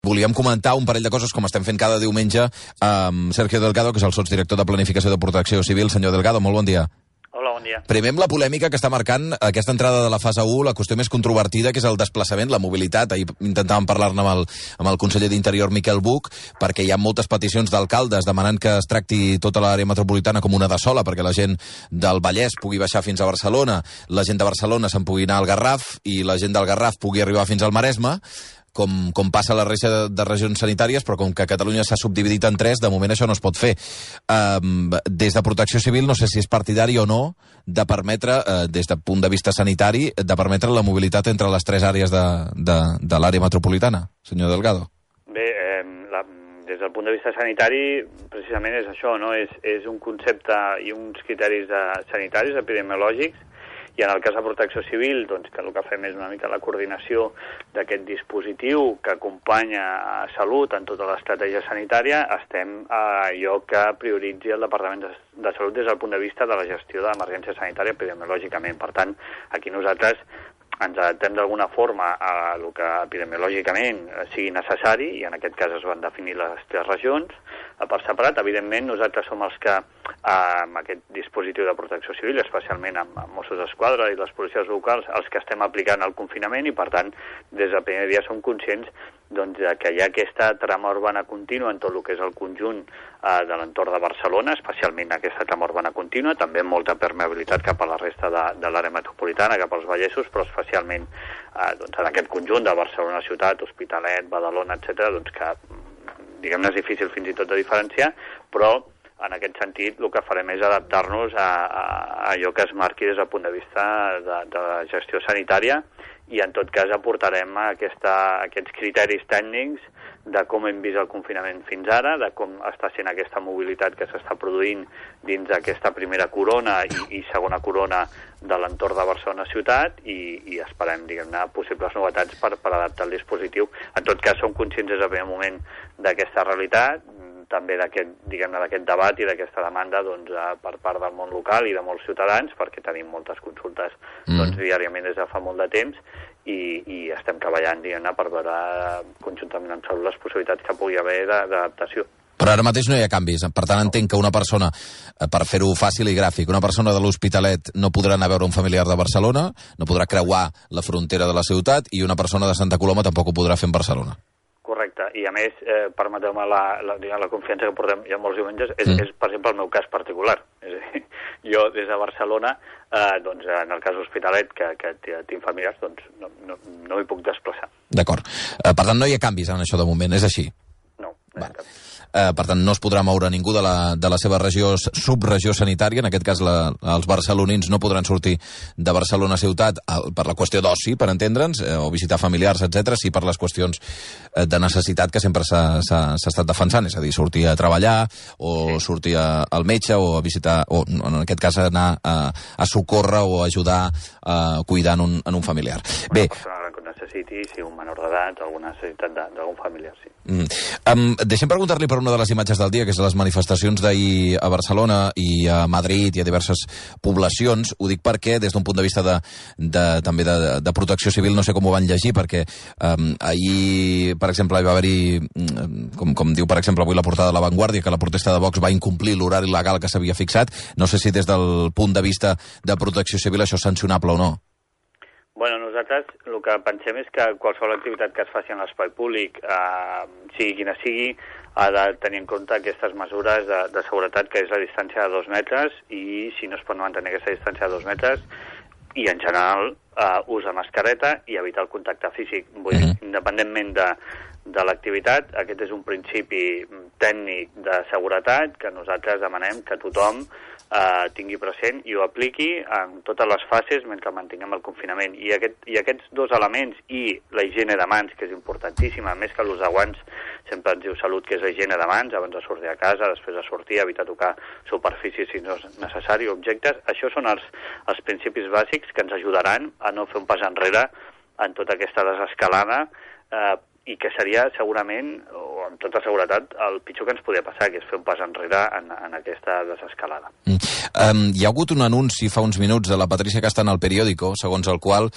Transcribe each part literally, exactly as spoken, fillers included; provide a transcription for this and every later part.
volíem comentar un parell de coses, com estem fent cada diumenge, amb Sergio Delgado, que és el sotsdirector de Planificació de Protecció Civil. Senyor Delgado, molt bon dia. Hola, bon dia. Primer amb la polèmica que està marcant aquesta entrada de la fase u, la qüestió més controvertida, que és el desplaçament, la mobilitat. Ahir intentàvem parlar-ne amb, el, amb el conseller d'Interior, Miquel Buch, perquè hi ha moltes peticions d'alcaldes demanant que es tracti tota l'àrea metropolitana com una de sola, perquè la gent del Vallès pugui baixar fins a Barcelona, la gent de Barcelona se'n pugui anar al Garraf i la gent del Garraf pugui arribar fins al Maresme, com, com passa a la resta de, de regions sanitàries, però com que Catalunya s'ha subdividit en tres, de moment això no es pot fer. Um, des de Protecció Civil, no sé si és partidari o no, de permetre, uh, des del punt de vista sanitari, de permetre la mobilitat entre les tres àrees de, de, de l'àrea metropolitana. Senyor Delgado. Bé, eh, la, des del punt de vista sanitari, precisament és això, no? És, és un concepte i uns criteris de, sanitaris, epidemiològics, i en el cas de Protecció Civil, doncs, que el que fem és una mica la coordinació d'aquest dispositiu que acompanya a Salut en tota l'estratègia sanitària, estem a allò que prioritzi el Departament de, de Salut des del punt de vista de la gestió de l'emergència sanitària epidemiològicament. Per tant, aquí nosaltres ens adaptem d'alguna forma a el que epidemiològicament sigui necessari, i en aquest cas es van definir les tres regions per separat. Evidentment, nosaltres som els que, amb aquest dispositiu de protecció civil, especialment amb Mossos d'Esquadra i les policies locals, els que estem aplicant el confinament, i per tant, des del primer dia som conscients doncs, que hi ha aquesta trama urbana contínua en tot el que és el conjunt eh, de l'entorn de Barcelona, especialment aquesta trama urbana contínua, també amb molta permeabilitat cap a la resta de, de l'àrea metropolitana, cap als Vallesos, però especialment eh, doncs, en aquest conjunt de Barcelona ciutat, Hospitalet, Badalona, etcètera, doncs que, diguem-ne, és difícil fins i tot de diferenciar, però en aquest sentit el que farem és adaptar-nos a, a, a allò que es marqui des del punt de vista de, de la gestió sanitària, i en tot cas aportarem aquesta, aquests criteris tècnics de com hem vist el confinament fins ara, de com està sent aquesta mobilitat que s'està produint dins d'aquesta primera corona i, i segona corona de l'entorn de Barcelona ciutat, i, i esperem, diguem-ne, possibles novetats per, per adaptar el dispositiu. En tot cas, som conscients des del primer moment d'aquesta realitat, també d'aquest, diguem-ne, d'aquest debat i d'aquesta demanda, doncs, per part del món local i de molts ciutadans, perquè tenim moltes consultes mm. doncs, diàriament des de fa molt de temps, i, i estem treballant, diguem-ne, per veure conjuntament amb Salut les possibilitats que pugui haver d'adaptació. Però ara mateix no hi ha canvis. Per tant, entenc que una persona, per fer-ho fàcil i gràfic, una persona de l'Hospitalet no podrà anar a veure un familiar de Barcelona, no podrà creuar la frontera de la ciutat, i una persona de Santa Coloma tampoc ho podrà fer en Barcelona. Correcte, i a més, eh, permeteu-me la, la, la confiança que portem ja molts diumenges, és, mm. és, per exemple, el meu cas particular. És a dir, jo, des de Barcelona, eh, doncs, en el cas Hospitalet, que, que tinc familiars, doncs, no, no, no m'hi puc desplaçar. D'acord. Eh, per tant, no hi ha canvis en això de moment, és així? No, no hi ha canvis. Eh, per tant, no es podrà moure ningú de la, de la seva regió, subregió sanitària. En aquest cas, la, els barcelonins no podran sortir de Barcelona ciutat el, per la qüestió d'oci, per entendre'ns, eh, o visitar familiars, etcètera, sí per les qüestions eh, de necessitat que sempre s'ha estat defensant, és a dir, sortir a treballar, o sí. sortir a, al metge, o a visitar, o en aquest cas anar a, a socórrer o a ajudar a cuidar en un, en un familiar. Una Bé, persona que necessiti, si un menor d'edat, alguna necessitat d'algun familiar, sí. Mm. Um, deixem preguntar-li per una de les imatges del dia, que és les manifestacions d'ahir a Barcelona i a Madrid i a diverses poblacions. Ho dic perquè, des d'un punt de vista de, de, també de, de protecció civil, no sé com ho van llegir, perquè um, ahir, per exemple, hi va haver-hi, com, com diu, per exemple, avui la portada de La Vanguardia, que la protesta de Vox va incomplir l'horari legal que s'havia fixat. No sé si des del punt de vista de protecció civil això és sancionable o no. Bueno, nosaltres el que pensem és que qualsevol activitat que es faci en l'espai públic, eh, sigui quina sigui, ha de tenir en compte aquestes mesures de, de seguretat, que és la distància de dos metres, i si no es pot mantenir aquesta distància de dos metres, i en general eh, ús de mascareta i evitar el contacte físic. Vull dir, independentment de, de l'activitat, aquest és un principi tècnic de seguretat que nosaltres demanem que tothom eh, tingui present i ho apliqui en totes les fases mentre mantinguem el confinament. I, aquest, i aquests dos elements, i la higiene de mans, que és importantíssima, més que l'ús de guants, sempre ens diu Salut que és la higiene de mans, abans de sortir a casa, després de sortir, evitar tocar superfícies si no és necessari, objectes. Això són els, els principis bàsics que ens ajudaran a no fer un pas enrere en tota aquesta desescalada, eh, i que seria segurament, o amb tota seguretat, el pitjor que ens podia passar, que és fer un pas enrere en, en aquesta desescalada. Mm. Um, hi ha hagut un anunci fa uns minuts de la Patricia Castana al periòdico, segons el qual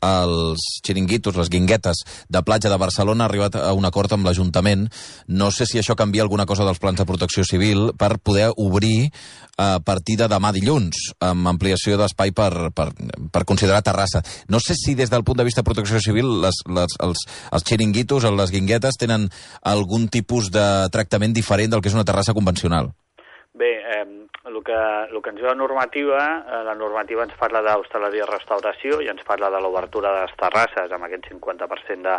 els xiringuitos, les guinguetes de platja de Barcelona han arribat a un acord amb l'Ajuntament. No sé si això canvia alguna cosa dels plans de protecció civil per poder obrir a partir de demà dilluns, amb ampliació d'espai per, per, per considerar terrassa. No sé si des del punt de vista de protecció civil les, les, els, els xiringuitos o les guinguetes tenen algun tipus de tractament diferent del que és una terrassa convencional. Bé, eh, el, que, el que ens diu la normativa, eh, la normativa ens parla d'hostaleria i restauració i ens parla de l'obertura de les terrasses amb aquest cinquanta per cent de,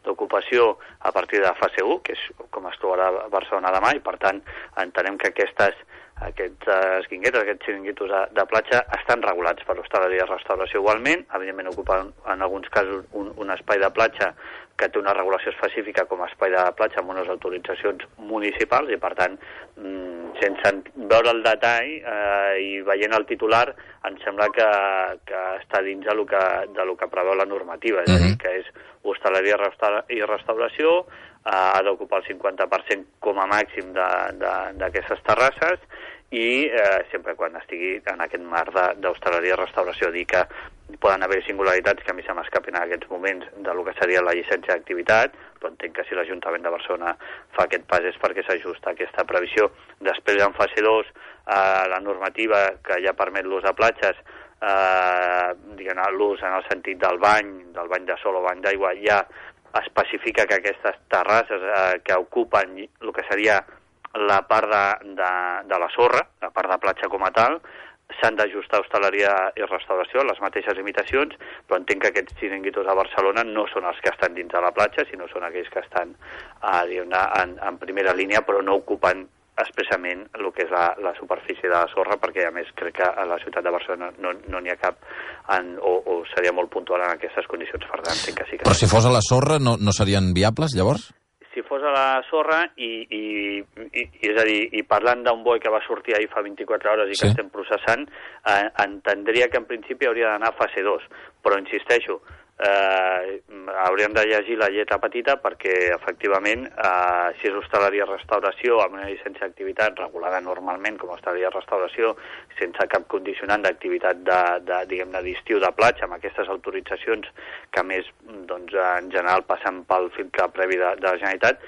d'ocupació a partir de fase u, que és com es trobarà a Barcelona demà, i per tant entenem que aquestes aquestes guinguetes, aquests xiringuitos de, de platja estan regulats per l'hostaleria i restauració igualment, evidentment ocupen en alguns casos un, un espai de platja que té una regulació específica com a espai de platja amb unes autoritzacions municipals i per tant, mmm, sense veure el detall eh, i veient el titular, em sembla que, que està dins de lo que, de lo que preveu la normativa, és a dir, que és hostaleria i restauració, eh, ha d'ocupar el cinquanta per cent com a màxim d'aquestes terrasses i eh, sempre quan estigui en aquest marc d'hostaleria i restauració. Dir que poden haver singularitats que a mi se m'escapin en aquests moments de lo que seria la llicència d'activitat, però entenc que si l'Ajuntament de Barcelona fa aquest pas és perquè s'ajusta a aquesta previsió. Després, en fase dos, eh, la normativa que ja permet l'ús de platges, eh, diguem-ne, l'ús en el sentit del bany, del bany de sol o bany d'aigua, ja especifica que aquestes terrasses eh, que ocupen el que seria la part de, de, de la sorra, la part de platja com a tal, s'han d'ajustar a hostaleria i restauració, les mateixes limitacions, però entenc que aquests xiringuitos a Barcelona no són els que estan dins de la platja, sinó són aquells que estan eh, en, en primera línia, però no ocupen expressament el que és la, la superfície de la sorra, perquè a més crec que a la ciutat de Barcelona no n'hi no ha cap en, o, o seria molt puntual en aquestes condicions, per tant, entenc que sí que... Però si fos a la sorra no, no serien viables, llavors? Si fos a la sorra i, i, i, i és a dir, i parlant d'un boi que va sortir ahir fa vint-i-quatre hores i que sí. estem processant, eh, entendria que en principi hauria d'anar a fase dos, però insisteixo, eh, hauríem de llegir la lletra petita perquè efectivament eh, si és hostaleria restauració amb una llicència d'activitat regulada normalment com a hostaleria restauració sense cap condicionant d'activitat de, de, diguem-ne d'estiu de platja amb aquestes autoritzacions que a més doncs, en general passen pel filtre previ de, de la Generalitat,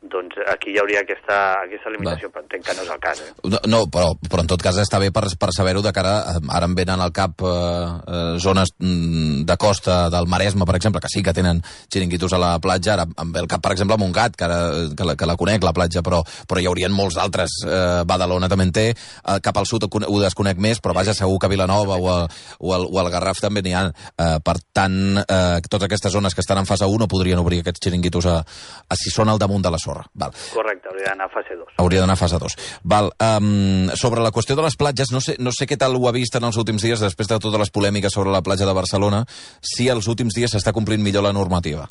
doncs aquí hi hauria aquesta, aquesta limitació, Va. però entenc que no és el cas. Eh? No, no però, però en tot cas està bé per, per saber-ho de cara, ara em venen al cap eh, eh, zones de costa del Maresme, per exemple, que sí que tenen xiringuitos a la platja, ara em ve el cap, per exemple, a Montgat, que, ara, que, la, que la conec, la platja, però, però hi haurien molts altres. Eh, Badalona també en té, eh, cap al sud ho desconec més, però vaja, segur que a Vilanova o, a, o, al, o al Garraf també n'hi ha. Eh, per tant, eh, totes aquestes zones que estan en fase u no podrien obrir aquests xiringuitos a, a si són al damunt de la sorra. Val. Correcte, hauria d'anar a fase dos. Hauria d'anar a fase dos. Val. Um, sobre la qüestió de les platges, no sé, no sé què tal ho ha vist en els últims dies, després de totes les polèmiques sobre la platja de Barcelona, si els últims dies s'està complint millor la normativa.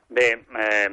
Bé, eh,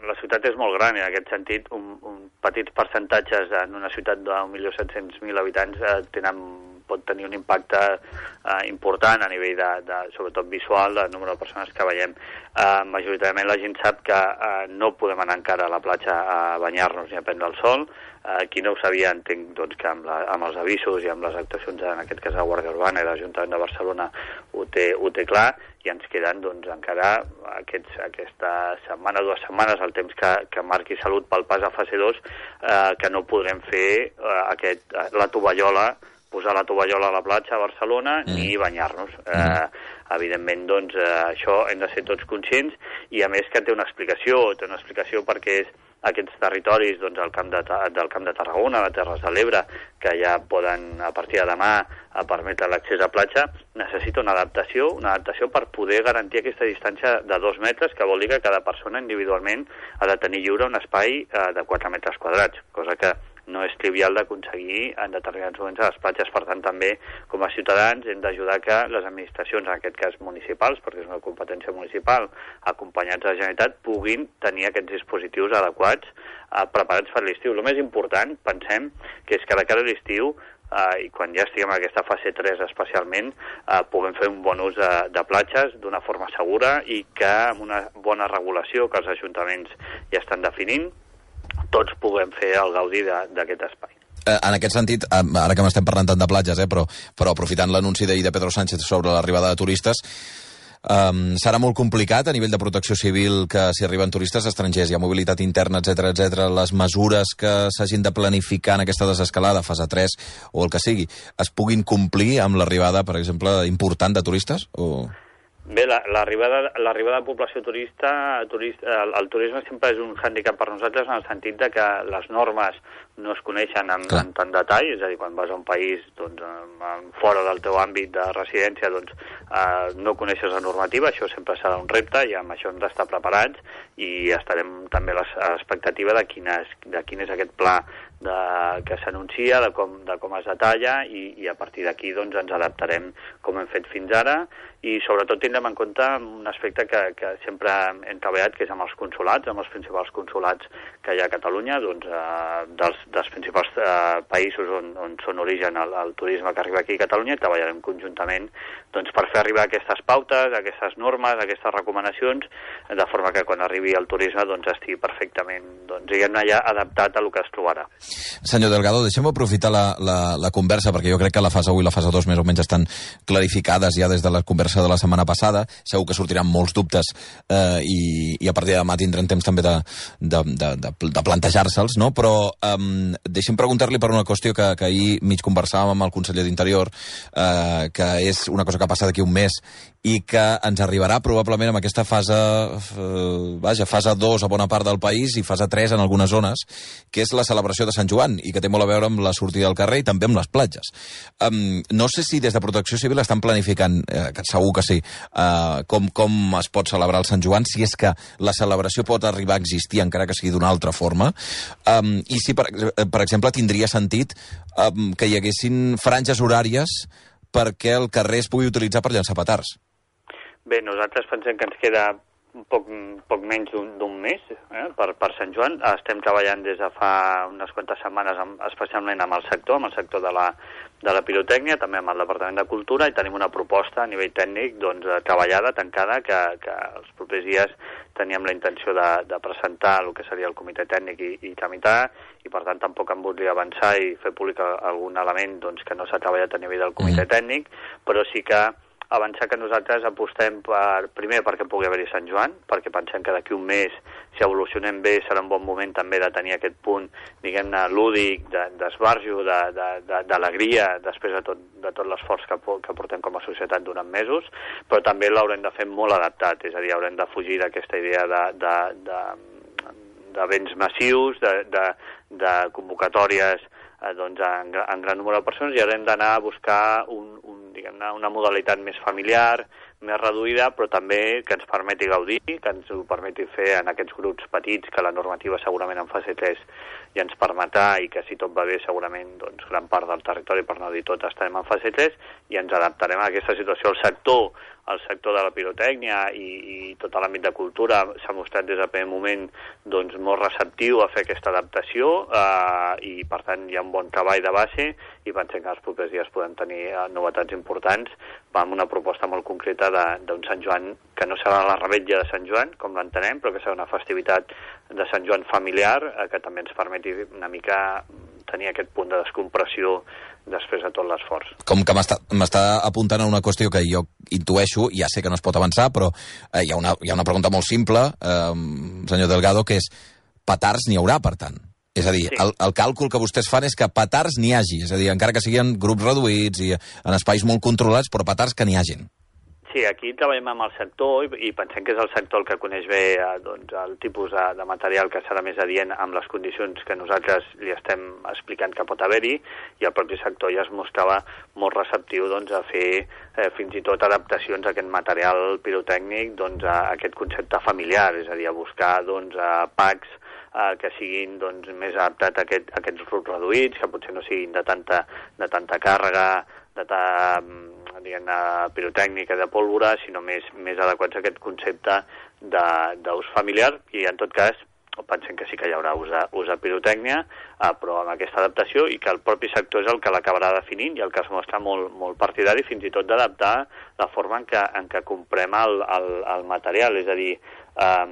la ciutat és molt gran, i en aquest sentit, un, un petits percentatges en una ciutat d'un milió set-cents mil habitants eh, tenen pot tenir un impacte eh, important a nivell de, de, sobretot visual, del número de persones que veiem. Eh, majoritàriament la gent sap que eh, no podem anar encara a la platja a banyar-nos ni a prendre el sol. Eh, qui no ho sabia, entenc doncs, que amb, la, amb els avisos i amb les actuacions, en aquest cas la Guàrdia Urbana i l'Ajuntament de Barcelona ho té, ho té clar, i ens queden doncs, encara aquests, aquesta setmana, dues setmanes, el temps que, que marqui Salut pel pas a fase dos, eh, que no podrem fer eh, aquest, la tovallola, posar la tovallola a la platja a Barcelona mm. ni banyar-nos. Mm. Eh, evidentment, doncs, eh, això hem de ser tots conscients i, a més, que té una explicació. Té una explicació perquè és aquests territoris, doncs, el camp de, del Camp de Tarragona, les Terres de l'Ebre, que ja poden, a partir de demà, a permetre l'accés a platja, necessita una adaptació, una adaptació per poder garantir aquesta distància de dos metres, que vol dir que cada persona individualment ha de tenir lliure un espai eh, de quatre metres quadrats, cosa que no és trivial d'aconseguir en determinats moments a les platges. Per tant, també, com a ciutadans, hem d'ajudar que les administracions, en aquest cas municipals, perquè és una competència municipal, acompanyats de la Generalitat, puguin tenir aquests dispositius adequats, eh, preparats per l'estiu. El més important, pensem, que és que de cara a l'estiu, eh, i quan ja estiguem en aquesta fase tres especialment, eh, puguem fer un bon ús de, de platges d'una forma segura i que amb una bona regulació que els ajuntaments ja estan definint, tots puguem fer el gaudi d'aquest espai. En aquest sentit, ara que m'estem parlant tant de platges, eh, però, però aprofitant l'anunci d'ahir de Pedro Sánchez sobre l'arribada de turistes, um, serà molt complicat a nivell de protecció civil que si arriben turistes estrangers, hi ha mobilitat interna, etcètera, etcètera, les mesures que s'hagin de planificar en aquesta desescalada, fase tres o el que sigui, es puguin complir amb l'arribada, per exemple, important de turistes? O... Bé, l'arribada l'arribada de població turista, turista el, el turisme sempre és un hàndicap per nosaltres en el sentit de que les normes no es coneixen en, en tant detall, és a dir, quan vas a un país doncs, fora del teu àmbit de residència doncs, eh, no coneixes la normativa, això sempre serà un repte i amb això hem d'estar preparats i estarem també a l'expectativa de, de quin és aquest pla de, que s'anuncia, de, com, de com es detalla i, i a partir d'aquí doncs, ens adaptarem com hem fet fins ara i sobretot tindrem en compte un aspecte que, que sempre hem treballat, que és amb els consulats, amb els principals consulats que hi ha a Catalunya, doncs, eh, dels, dels principals eh, països on, on són origen el, el turisme que arriba aquí a Catalunya i treballarem conjuntament doncs, per fer arribar aquestes pautes, aquestes normes, aquestes recomanacions, de forma que quan arribi el turisme doncs, estigui perfectament doncs, diguem-ne ja adaptat a el que es trobarà. Senyor Delgado, deixem aprofitar la, la, la conversa, perquè jo crec que la fase u i la fase dos més o menys estan clarificades ja des de la conversa de la setmana passada. Segur que sortiran molts dubtes eh, i, i a partir de demà tindrem temps també de, de, de, de, de plantejar-se'ls, no? Però eh, deixem preguntar-li per una qüestió que, que ahir mig conversàvem amb el conseller d'Interior, eh, que és una cosa que ha passat d'aquí un mes i que ens arribarà probablement amb aquesta fase, eh, vaja, fase dos a bona part del país i fase tres en algunes zones, que és la celebració de Sant Joan i que té molt a veure amb la sortida al carrer i també amb les platges. Um, no sé si des de Protecció Civil estan planificant, eh, que segur que sí, eh, com, com es pot celebrar el Sant Joan, si és que la celebració pot arribar a existir encara que sigui d'una altra forma, um, i si, per, per exemple, tindria sentit um, que hi haguessin franges horàries perquè el carrer es pugui utilitzar per llançar petards. Bé, nosaltres pensem que ens queda un poc, poc menys d'un mes eh, per, per Sant Joan. Estem treballant des de fa unes quantes setmanes, amb, especialment amb el sector, amb el sector de la, de la pirotècnia, també amb el Departament de Cultura, i tenim una proposta a nivell tècnic doncs, treballada, tancada, que, que els propers dies teníem la intenció de, de presentar el que seria el comitè tècnic i, i tramitar, i per tant tampoc em voldria avançar i fer públic algun element doncs, que no s'ha treballat a nivell del comitè mm. tècnic, però sí que avançar que nosaltres apostem per, primer perquè pugui haver-hi Sant Joan, perquè pensem que d'aquí un mes, si evolucionem bé, serà un bon moment també de tenir aquest punt, diguem-ne, lúdic, d'esbarjo, de, d'alegria, de, després de tot, de tot l'esforç que, que portem com a societat durant mesos, però també l'haurem de fer molt adaptat, és a dir, haurem de fugir d'aquesta idea de, de, de, d'events massius, de, de, de convocatòries eh, doncs, en, en gran número de persones, i haurem d'anar a buscar un, un diguem-ne, una modalitat més familiar, més reduïda, però també que ens permeti gaudir, que ens ho permeti fer en aquests grups petits, que la normativa segurament en fase tres ja ens permetrà i que si tot va bé segurament doncs, gran part del territori, per no dir tot, estarem en fase tres i ens adaptarem a aquesta situació. El sector, el sector de la pirotècnia i, i tot l'àmbit de cultura s'ha mostrat des del primer moment doncs, molt receptiu a fer aquesta adaptació eh, i per tant hi ha un bon treball de base i pensem que els propers dies podem tenir eh, novetats importants amb una proposta molt concreta d'un Sant Joan que no serà la revetlla de Sant Joan, com l'entenem, però que serà una festivitat de Sant Joan familiar eh, que també ens permeti una mica tenir aquest punt de descompressió després de tot l'esforç. Com que m'està apuntant a una qüestió que jo intueixo, ja sé que no es pot avançar, però eh, hi, ha una, hi ha una pregunta molt simple, eh, senyor Delgado, que és, petards n'hi haurà, per tant? És a dir, sí. el, el càlcul que vostès fan és que petards n'hi hagi, és a dir, encara que siguin grups reduïts i en espais molt controlats, però petards que n'hi hagin. Sí, aquí treballem amb el sector i, i pensem que és el sector el que coneix bé eh, doncs, el tipus de, de material que serà més adient amb les condicions que nosaltres li estem explicant que pot haver-hi, i el propi sector ja es mostrava molt receptiu doncs, a fer eh, fins i tot adaptacions a aquest material pirotècnic doncs, a aquest concepte familiar, és a dir, a buscar doncs, a packs eh, que siguin doncs, més adaptats a, aquest, a aquests grups reduïts, que potser no siguin de tanta, de tanta càrrega, de ta, diguem, pirotècnica, de pólvora, sinó més, més adequats a aquest concepte d'ús familiar, i en tot cas pensem que sí que hi haurà ús de, ús de pirotècnia, eh, però amb aquesta adaptació, i que el propi sector és el que l'acabarà definint i el que es mostra molt, molt partidari fins i tot d'adaptar la forma en què, en què comprem el, el, el material, és a dir, eh,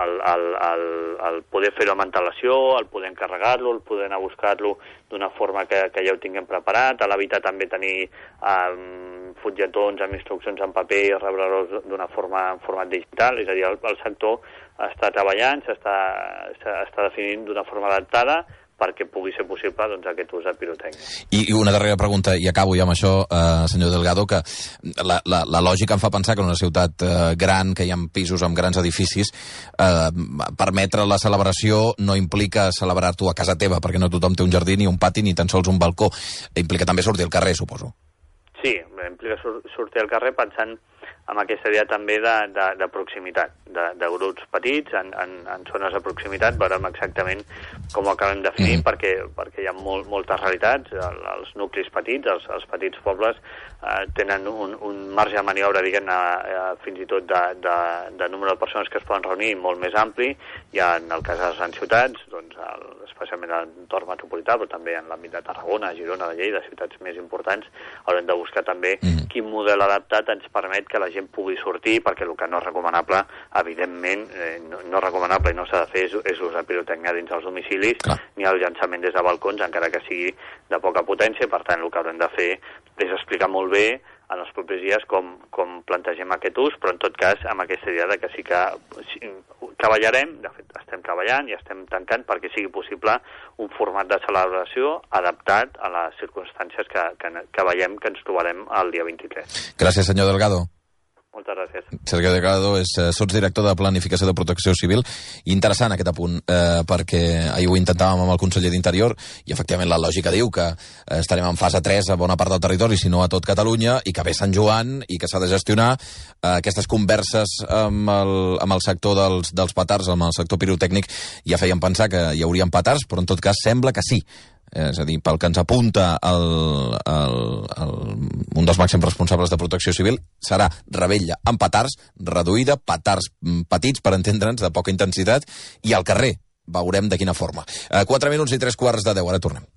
el, el, el, el poder fer-ho amb antelació, el poder encarregar-lo, el poder anar a buscar-lo d'una forma que, que ja ho tinguem preparat, a l'evitar també tenir um, fulletons amb instruccions en paper i rebre-los d'una forma en format digital, és a dir, el, el sector està treballant, s'està està definint d'una forma adaptada perquè pugui ser possible doncs, aquest ús de pirotècnia. I, I una darrera pregunta, i acabo ja amb això, eh, senyor Delgado, que la, la, la lògica em fa pensar que en una ciutat eh, gran, que hi ha pisos amb grans edificis, eh, permetre la celebració no implica celebrar-t'ho a casa teva, perquè no tothom té un jardí, ni un pati, ni tan sols un balcó. Implica també sortir al carrer, suposo. Sí, implica sur sortir al carrer pensant amb aquesta idea també de, de, de proximitat, de, de grups petits, en, en, en zones de proximitat, veurem exactament com ho acabem definint, mm. perquè, perquè hi ha molt, moltes realitats, el, els nuclis petits, els, els petits pobles, eh, tenen un, un marge de maniobra, diguem-ne, eh, fins i tot de, de, de número de persones que es poden reunir molt més ampli, i en el cas de les grans ciutats, doncs, el, especialment en l'entorn metropolità, però també en l'àmbit de Tarragona, Girona, de Lleida, ciutats més importants, haurem de buscar també mm. quin model adaptat ens permet que la gent pugui sortir, perquè el que no és recomanable, evidentment, eh, no, no és recomanable i no s'ha de fer és, és l'ús de pirotècnia dins els domicilis, Clar. ni el llançament des de balcons, encara que sigui de poca potència. Per tant, el que haurem de fer és explicar molt bé en els propers dies com, com plantegem aquest ús, però en tot cas amb aquesta idea de que sí que sí, treballarem, de fet estem treballant i estem tancant perquè sigui possible un format de celebració adaptat a les circumstàncies que, que, que veiem que ens trobarem el dia vint-i-tres. Gràcies, senyor Delgado. Moltes gràcies. Sergio Delgado és eh, sotsdirector de Planificació de Protecció Civil. Interessant aquest apunt, eh, perquè ahir ho intentàvem amb el conseller d'Interior i efectivament la lògica diu que eh, estarem en fase tres a bona part del territori, si no a tot Catalunya, i que ve Sant Joan i que s'ha de gestionar eh, aquestes converses amb el, amb el sector dels, dels petards, amb el sector pirotècnic, ja feien pensar que hi haurien petards, però en tot cas sembla que sí. És a dir, pel que ens apunta el, el, el, un dels màxims responsables de Protecció Civil, serà revetlla amb petards, reduïda, petards petits, per entendre'ns, de poca intensitat, i al carrer veurem de quina forma. Eh, quatre minuts i tres quarts de deu, ara tornem.